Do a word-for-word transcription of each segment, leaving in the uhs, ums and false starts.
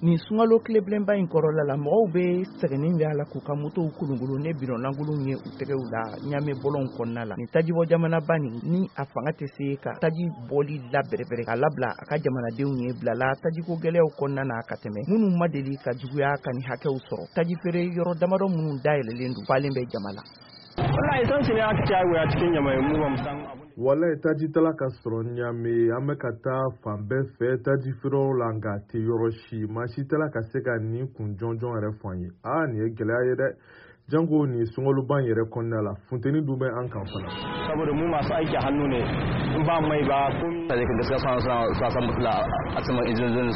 Nin sunkalo tilebilenba in kɔrɔla la, mɔgɔw bɛ sɛgɛnni bɛ a la k'u ka motow kolonkolon ne bidɔnlankolonw ye u tɛgɛw la Ɲame bɔlɔnw kɔnɔna la. Nin tajibɔ jamanaba nin, ni a fanga tɛ se ka taji bɔli la bɛrɛbɛrɛ k'a labila a ka jamanadenw ye, bilala tajiko gɛlɛyaw kɔnɔna na ka tɛmɛ minnu ma deli ka juguya ka nin hakɛw sɔrɔ. Taji feere yɔrɔ damadɔ minnu dayɛlɛlen don, falen bɛ jama la. Wallahi essence ne aka caya cikin Ɲamai, mu ba mu san. Walayi, taji tala ka sɔrɔ Ɲame. An bɛ ka taa fan bɛɛ fɛ taji feereyɔrɔ la, nka a tɛ yɔrɔ si. Maa si tɛla ka se ka nin kun jɔnjɔn yɛrɛ fɔ an ye. Aa, nin ye gɛlɛya ye dɛ, janko nin sunkaloba in yɛrɛ kɔnɔna la, funteni dun bɛ an kan fana. Saboda mu masu aiki hannu ne, in ba mai ba ko gaskiya suna suna samun matsala a saman injin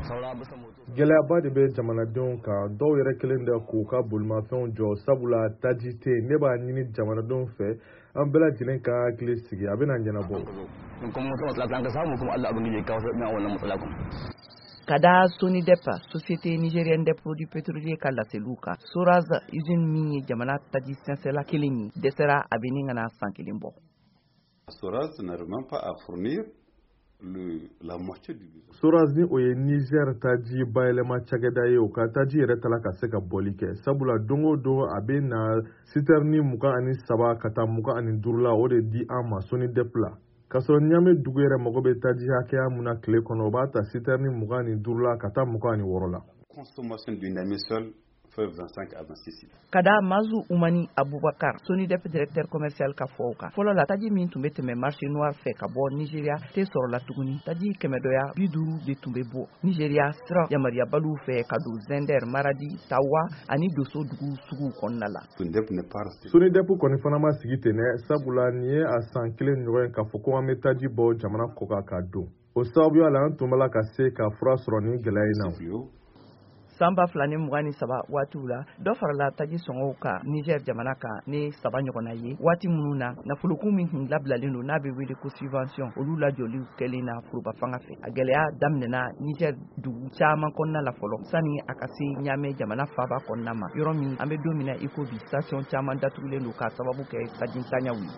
saura bisa moto. Gɛlɛyaba de bɛ jamanadenw kan. Dɔw yɛrɛ kelen de k'u ka bolimafɛnw jɔ, sabula taji tɛ yen. Ne b'a ɲini jamanadenw fɛ, an bɛɛ lajɛlen ka hakili sigi, a bɛna ɲɛnabɔ. Kuma matsala an ka samu, kuma Allah ubangiji ya kawo sauƙin wannan matsala kuma. Ka da SONIDEP, Société Nigérienne des Produits Pétroliers, ka laseliw kan, Soraz usine min ye jamana taji sɛnsɛla kelen ye, dɛsɛra a bɛ ni ka na san kelen bɔ. Soraz n'arrive même pas à fournir le, la moitié du besoin. Soraz, ni o ye Niger taji bayɛlɛma cakɛda ye, o ka taji yɛrɛ tala ka se ka bɔli kɛ, sabula don o don a bɛ na sitɛrini mugan ani saba ka taa mugan ani duuru la, o de di an ma SONIDEP la, k'a sɔrɔ Ɲame dugu yɛrɛ mago bɛ taji hakɛya mun na tile kɔnɔ, o b'a ta sitɛrini mugan ani duuru la ka taa mugan ani wɔɔrɔ la. Consommation du Niamey seul fait vingt-cinq à vingt-six litres. Ka da Mazu Umani Abubakar, SONIDEP directeur commercial, ka fɔw kan, fɔlɔ la, taji min tun bɛ tɛmɛ marché noir fɛ ka bɔ Nigeria tɛ sɔrɔ la tuguni. Taji kɛmɛdɔya bi duuru de tun bɛ bɔ Nigeria sira yamaruyabaliw fɛ ka don Zender, Maradi, Tawa ani Doso dugu suguw kɔnɔna la. SONIDEP n'est pas resté. SONIDEP kɔni fana ma sigi ten dɛ, sabula nin ye a san kelen ɲɔgɔn ye k'a fɔ ko an bɛ taji bɔ jamana kɔ kan ka don. O sababuya la, an tun b'a la ka se ka fura sɔrɔ nin gɛlɛya in na. Fléau. San ba fila ni mugan ni saba waatiw la, dɔ farala taji sɔngɔw kan Niger jamana kan ni saba ɲɔgɔnna ye, waati minnu na nafolokun min tun labilalen don, n'a bɛ wele ko subvention, olu lajɔliw kɛlen na foroba fanga fɛ. A gɛlɛya daminɛna Niger dugu caman kɔnɔna la fɔlɔ, sani a ka se Ɲamɛ jamana faaba kɔnɔna ma, yɔrɔ min an bɛ don min na i ko bi, station caman datugulen don k'a sababu kɛ tajintanyaw ye.